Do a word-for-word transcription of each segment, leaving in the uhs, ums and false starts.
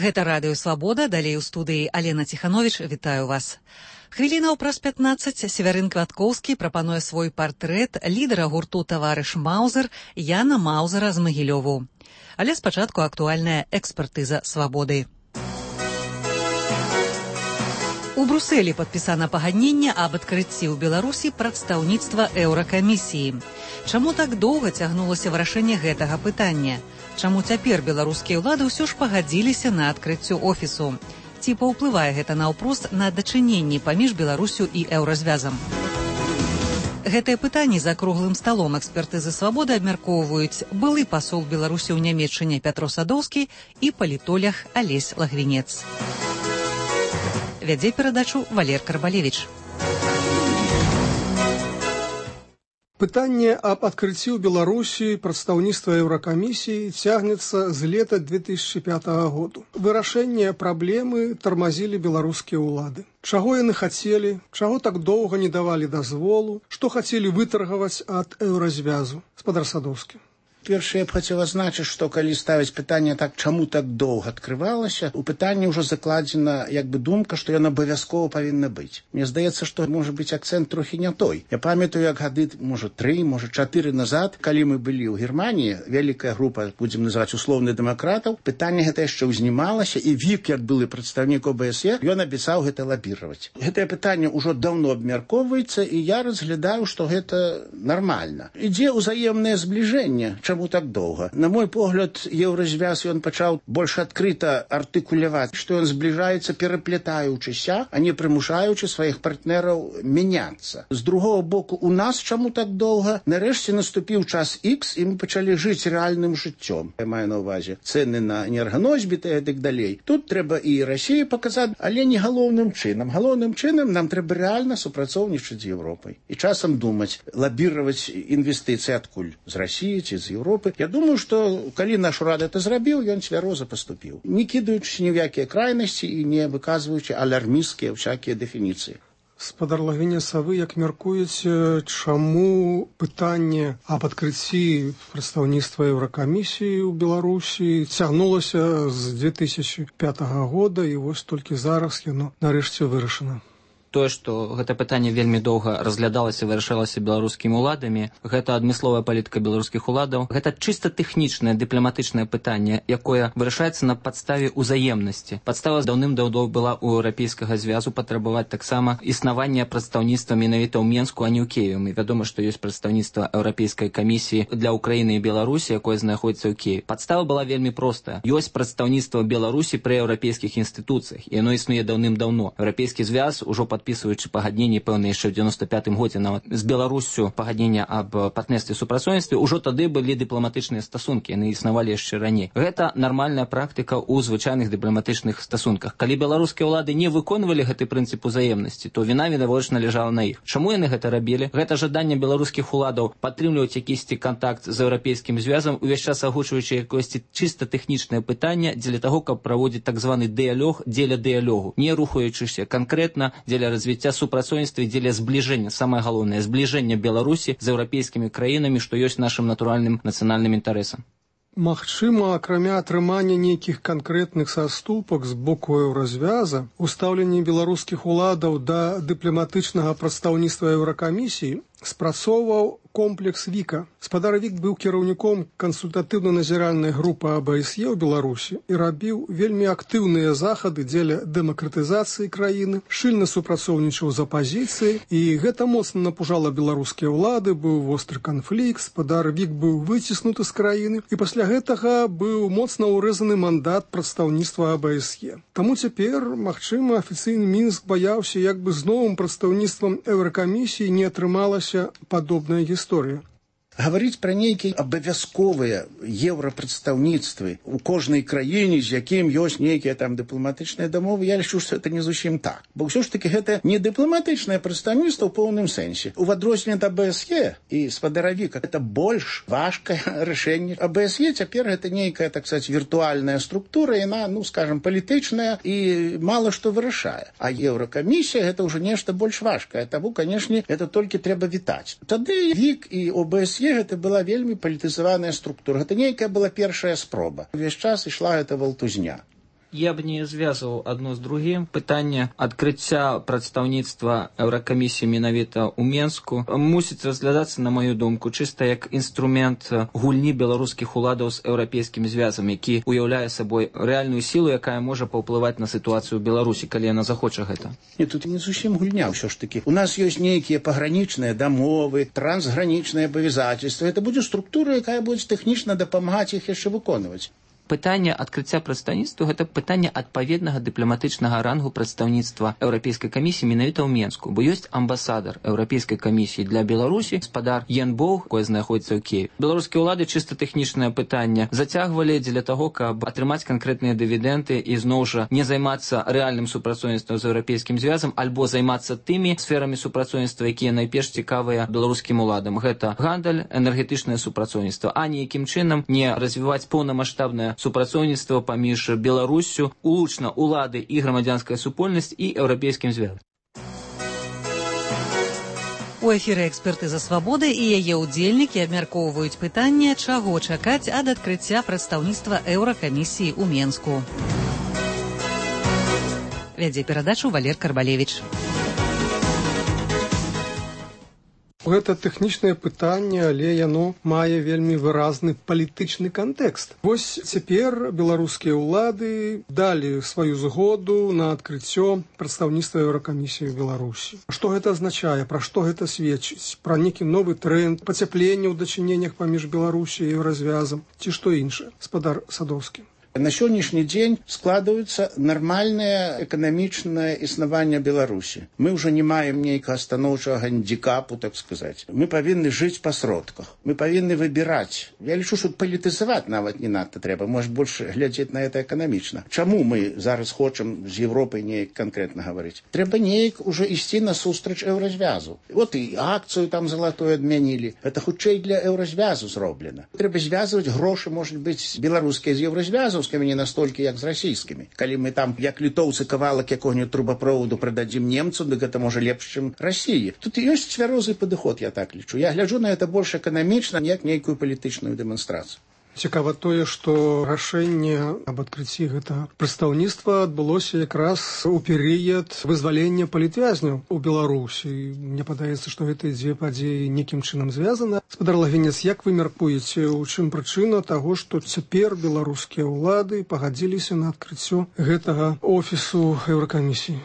Гэта радыё «Свабода», далей у студыі Алена Ціхановіч, вітаю вас. Хвілінаў праз пятнаццаць Севярын Кваткоўскі прапануе свой партрэт лідара гурту «Таварыш Маузер» Яна Маузера з Магілёву. Але спачатку актуальная экспертыза «Свабоды». У Брусэлі падпісана пагадненне аб адкрыцці ў Беларусі прадстаўніцтва Еўракамісіі. Чаму так доўга цягнулася вырашэнне гэтага пытання? Чаму цяпер беларускія ўлады ўсё ж пагадзіліся на адкрыццё офісу? Ці паўплывае гэта наўпрост на дачыненні паміж Беларусю і еўразвязам? Гэтыя пытанні за круглым сталом экспертызы «Свабоды» абмяркоўваюць былы пасол Беларусі ў Нямецчыне Пятро Садоўскі і палітолог Алесь Лагвінец. Вядзе перадачу Валер Карбалевіч. Пытанне аб адкрыцці ў Беларусі прадстаўніцтва Еўракамісіі цягнецца з лета две тысячи пятага году. Вырашэнне праблемы тармазілі беларускія ўлады. Чаго яны хацелі, чаго так доўга не давалі дазволу, што хацелі вытаргаваць ад еўразвязу? Спадар Садоўскі. Першае, я б хацеў азначыць, што калі ставіць пытанне так, чаму так доўга адкрывалася, у пытанні ўжо закладзена як бы думка, што ён абавязкова павінна быць. Мне здаецца, што можа быць акцэнт трохі не той. Я памятаю, як гады, можа, тры, можа, чатыры назад, калі мы былі ў Германіі, вялікая група, будзем называць услоўных дэмакратаў, пытанне гэта яшчэ ўзнімалася, і Вік, як былы прадстаўнік О Бэ Эс Е, ён абяцаў гэта лабіраваць. Гэтае пытанне ўжо даўно абмяркоўваецца, і я разглядаю, што гэта нармальна. Ідзе ўзаемнае збліжэнне. Чаму так доўга? На мой погляд, еўразвяз ён пачаў больш адкрыта артыкуляваць, што ён збліжаецца пераплятаючыся, а не прымушаючы сваіх партнераў мяняцца. З другого боку, у нас чаму так доўга? Нарэшце наступіў час Ікс, і мы пачалі жыць рэальным жыццём. Я маю на ўвазе цэны на энерганосьбіты і так далей. Тут трэба і Расіі паказаць, але не галоўным чынам. Галоўным чынам нам трэба рэальна супрацоўнічаць з Еўропай. І часам думаць, лабіраваць інвестыцыі адкуль? З Расіі ці з Еўропы? Я думаю, што калі наш урад это зрабіў, ён цвяроза паступіў, не кідаючыся ні ў якія крайнасці і не выказваючы алярмісцкія всякія дэфініцыі. Спадар Лагвінец, а вы як мяркуеце, чаму пытанне аб адкрыцці прадстаўніцтва Еўракамісіі ў Беларусі цягнулася з две тысячи пятага года, і вось толькі зараз яно нарэшце вырашана? Тое, што гэта пытанне вельмі доўга разглядалася і вырашалася беларускімі ўладамі, гэта адмысловая палітыка беларускіх уладаў, гэта чыста тэхнічнае дыпламатычнае пытанне, якое вырашаецца на падставе ўзаемнасці. Падстава даўным-даўно была ў еўрапейскага звязу патрабаваць таксама існавання прадстаўніцтва менавіта ў Менску, а не ў Кіеве. Мы вядома, што ёсць прадстаўніцтва Еўрапейскай камісіі для Украіны і Беларусі, якое знаходзіцца ў Кіеве. Падстава была вельмі простая. Ёсць прадстаўніцтва Беларусі пры еўрапейскіх інстытуцыях, і яно існуе даўным-даўно. Еўрапейскі звяз ужо пад подписываючы пагадненне пэўна яшчэ ў девяносто пятым годзе нават з Беларуссю пагаднення аб партнерстве і супрацоўніцтве, ужо тады былі дыпламатычныя стасункі, яны існавалі яшчэ раней. Гэта нармальная практыка ў звычайных дыпламатычных стасунках. Калі беларускія ўлады не выконвалі гэты прынцып узаемнасці, то віна відавочна ляжала на іх. Чаму яны гэта рабілі? Гэта жаданне беларускіх уладаў падтрымліваць якісьці кантакт з еўрапейскім звязам, увесь час агучваючы якосьці чыста тэхнічнае пытанне дзеля таго, каб праводзіць так званы дыялог дзеля дыялогу, не рухаючыся канкрэтна дзеля развіцця супрацоўніцтва і дзеля збліжэння, самае галоўнае, збліжэння Беларусі з еўрапейскімі краінамі, што ёсць нашым натуральным нацыянальным інтарэсам. Магчыма, акрамя атрымання нейкіх канкрэтных саступак з боку еўразвяза, устаўленне беларускіх уладаў да дыпламатычнага прадстаўніцтва Еўракамісіі спрацоўваў комплекс Віка. Спадар Вік быў кіраўніком кансультатыўна-назіральнай групы А Бэ Эс Е ў Беларусі і рабіў вельмі актыўныя захады дзеля дэмакратызацыі краіны, шчыльна супрацоўнічаў з апазіцыяй, і гэта моцна напужала беларускія ўлады, быў востры канфлікт, спадар Вік быў выціснуты з краіны, і пасля гэтага быў моцна ўрэзаны мандат прадстаўніцтва А Бэ Эс Е. Таму цяпер, магчыма, афіцыйны Мінск баяўся, як бы з новым прадстаўніцтвам Еўракамісіі не атрымалася падобная гісторыя. Гаварыць пра нейкія абавязковыя еўрапрадстаўніцтвы ў кожнай краіне, з якім ёсць нейкія там дыпламатычныя дамовы, я лічу, што это не зусім так. Бо ўсё ж такі гэта не дыпламатычнае прадстаўніцтва ў поўным сэнсе. У адрозненне ад А Бэ Эс Е і спадара Віка это больш важкае рашэнне. А Бэ Эс Е цяпер гэта нейкая, так сказаць, віртуальная структура, яна, ну, скажам, палітычная і мала што вырашае. А Еўракамісія гэта ўжо нешта больш важкае. Таму, канешне, это толькі трэба вітаць. Тады Вік і О Бэ Эс Е гэта была вельмі палітызаваная структура. Гэта нейкая была першая спроба. Увесь час ішла гэта валтузня. Я б не звязываў адно з другім. Пытанне адкрыцця прадстаўніцтва Еўракамісіі менавіта ў Менску мусіць разглядацца, на маю думку, чыста як інструмент гульні беларускіх уладаў з еўрапейскім звязам, які уяўляе сабой рэальную сілу, якая можа паўплываць на сітуацыю ў Беларусі, калі яна захоча гэта. Не, тут не зусім гульня ўсё ж такі. У нас ёсць нейкія пагранічныя дамовы, трансгранічныя абавязательства. Это будзе структура, якая будзе тэхнічна дапамагаць іх яшчэ выконваць. Пытанне адкрыцця прадстаўніцтва – гэта пытанне адпаведнага дыпламатычнага рангу прадстаўніцтва Еўрапейскай камісіі менавіта ў Менску, бо ёсць амбасадар Еўрапейскай камісіі для Беларусі, гаспадар Ян Боўг, якой знаходзіцца ў Киеве. Беларускія ўлады чыста тэхнічнае пытанне зацягвалі дзеля таго, каб атрымаць канкрэтныя дывідэнды і зноў жа не займацца рэальным супрацоўніцтвам з еўрапейскім звязам альбо займацца тымі сферамі супрацоўніцтва, якія найперш цікавыя беларускім уладам. Гэта гандаль, энергетычнае супрацоўніцтва, а ніякім чынам не развіваць поўнамаштабнае супрацоўніцтва паміж Беларуссю, улучна улады і грамадзянская супольнасць і еўрапейскім звязам. У эфіры «Экспертыза свабоды» і яе ўдзельнікі абмяркоўваюць пытанне, чаго чакаць ад адкрыцця прадстаўніцтва Еўракамісіі ў Менску. Вядзе перадачу Валер Карбалевіч. Гэта тэхнічнае пытанне, але яно мае вельмі выразны палітычны кантэкст. Вось цяпер беларускія ўлады далі сваю згоду на адкрыццё прадстаўніцтва Еўракамісіі ў Беларусі. Што гэта азначае, пра што гэта сведчыць? Пра нейкі новы тренд, пацяпленне ў дачыненнях паміж Беларусі і Еўразвязам, ці што іншае? Гаспадар Садоўскі. На сённяшні дзень складывается нармальное экономичное існаванне Беларусі. Мы уже не маем нейкага станоўчага гандикапу, так сказать. Мы повинны жить по сродках. Мы повинны выбирать. Я лічу, что палітызаваць нават не надо трэба. Может, больше глядзець на это экономично. Чаму мы зараз хочам з Европой неяк конкретно говорить? Трэба неяк уже ісці на сустрач Еўразвязу. Вот и акцию там золотую адмянілі. Это хутчэй для Еўразвязу зроблена. Трэба звязывать грошы, может быть, беларускія з Еўразвязу, не настолькі, як з расійскімі. Калі мы там, як літоўцы, кавалак якога-нибудь трубаправоду прададзім немцу, дык гэта можа лепш, чым Расіі. Тут ёсць цвярозы падыход, я так лічу. Я гляджу на это больш эканамічна, як нейкую палітычную дэманстрацыю. Цікава тое, што рашэнне аб адкрыцці гэтага прадстаўніцтва адбылося якраз у перыяд вызвалення палітвязняў у Беларусі. Мне падаецца, што гэтыя дзве падзеі нейкім чынам звязаны. Гаспадар Лагвінец, як вы мяркуеце, у чым прычына таго, што цяпер беларускія ўлады пагадзіліся на адкрыццё гэтага офісу Еўракамісіі?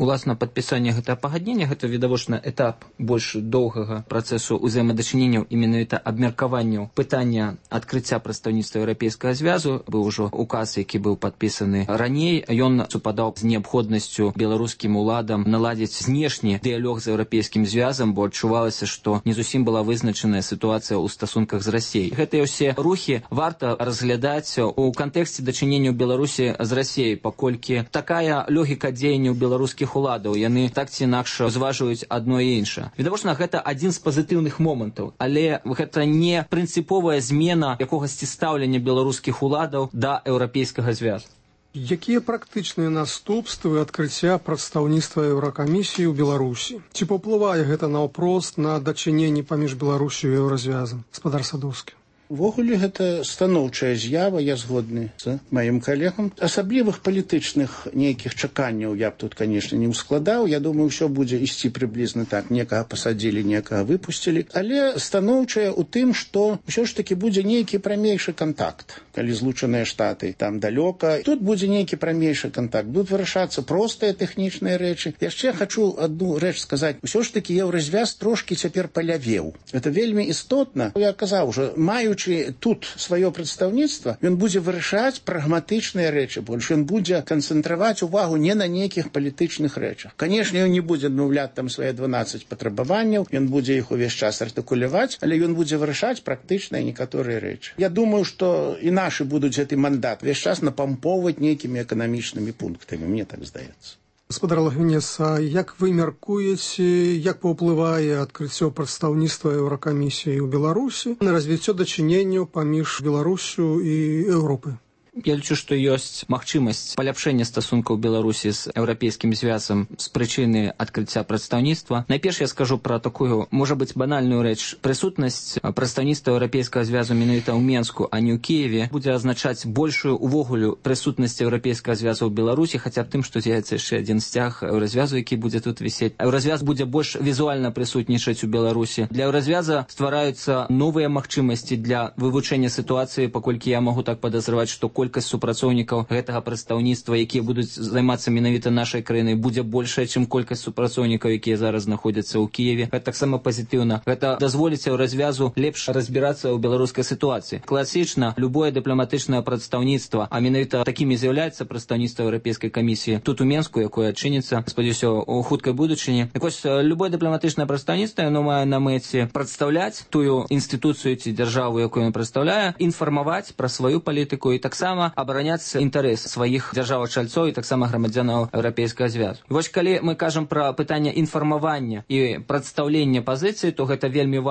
Уласна, падпісанне гэтага пагаднення – гэта відавочна этап больш доўгага працэсу ўзаемадачыненняў і менавіта абмеркаванняў пытання адкрыцця прадстаўніцтва Еўрапейскага звязу. Быў ужо указ, які быў падпісаны раней. Ён супадаў з неабходнасцю беларускім уладам наладзіць знешні дыялог з еўрапейскім звязам, бо адчувалася, што не зусім была вызначаная сітуацыя ў стасунках з Расіяй. Гэтыя ўсе рухі варта разглядаць у кантэксце дачынення Беларусі з Расіяй, паколькі такая логіка дзеянняў беларускіх уладаў, яны так ці інакш зважваюць адно і іншае. Відавочна, гэта адзін з пазітыўных момантаў, але гэта не прынцыповая змена якогасьці стаўлення беларускіх уладаў да еўрапейскага звязу. Якія практычныя наступствы адкрыцця прадстаўніцтва Еўракамісіі ў Беларусі? Ці паўплывае гэта наўпрост на дачыненні паміж Беларусю і Еўразвязам? Гаспадар Садоўскі. Увогуле гэта станоўчая з'ява, я згодны з маім калегам. Асаблівых палітычных нейкіх чаканняў я б тут, канешне, не ўскладаў. Я думаю, ўсё будзе ісці прыблізна так. Некага пасадзілі, некага выпусцілі. Але станоўчая ў тым, што ўсё ж такі будзе нейкі прамейшы кантакт. Калі Злучаныя Штаты там далёка, тут будзе нейкі прамейшы кантакт. Будуць вырашацца простыя тэхнічныя рэчы. Яшчэ хачу адну рэч сказаць. Усё ж такі Еўразвяз трошкі цяпер палявеў. Гэта вельмі істотна. Я казаў ужо, маючы тут сваё прадстаўніцтва, ён будзе вырашаць прагматычныя рэчы больш. Ён будзе канцэнтраваць увагу не на нейкіх палітычных рэчах. Канешне, ён не будзе адмаўляць там свае дванаццаць патрабаванняў, ён будзе іх увесь час артыкуляваць, але ён будзе вырашаць практычныя некаторыя рэчы. Я думаю, што і нашы будуць гэты мандат увесь час напампоўваць нейкімі эканамічнымі пунктамі, мне так здаецца. Гаспадар Лагвінец, а як вы мяркуеце, як паўплывае адкрыццё прадстаўніцтва Еўракамісіі ў Беларусі на развіццё дачыненняў паміж Беларусю і Еўропай? Я лічу, што ёсць магчымасць паляпшэння стасункаў Беларусі з еўрапейскім звязам з прычыны адкрыцця прадстаўніцтва. Найперш я скажу пра такую, можа быць, банальную рэч. Прысутнасць прадстаўніцтва еўрапейскага звязу менавіта ў Менску, а не ў Кіеве, будзе азначаць большую увогуле прысутнасць еўрапейскага звязу ў Беларусі, хаця б тым, што з'явіцца яшчэ адзін сцяг еўразвязу, які будзе тут вісець. Еўразвяз будзе больш візуальна прысутнічаць у Беларусі. Для еўразвяза ствараюцца новыя магчымасці для вывучэння сітуацыі, паколькі я магу так падазраваць, што колькасць супрацоўнікаў гэтага прадстаўніцтва, якія будуць займацца менавіта нашай краінай, будзе большая, чым колькасць супрацоўнікаў, якія зараз знаходзяцца ў Кіеве. Гэта таксама пазітыўна. Гэта дазволіць еўразвязу лепш разбірацца ў беларускай сітуацыі. Класічна, любое дыпламатычнае прадстаўніцтва, а менавіта такімі з'яўляецца прадстаўніцтва Еўрапейскай камісіі тут у Менску, якое адчыніцца, спадзяюся, у хуткай будучыні. Так вось, любое дыпламатычнае прадстаўніцтва, яно мае на мэце прадстаўляць тую інстытуцыю ці дзяржаву, якую ён прадстаўляе, інфармаваць пра сваю палітыку і таксама абараняць інтарэс сваіх дзяржаў-чальцоў і таксама грамадзянаў еўрапейскага звязу. І вось калі мы кажам пра пытанне інфармавання і прадстаўлення пазіцыі, то гэта вельмі важна.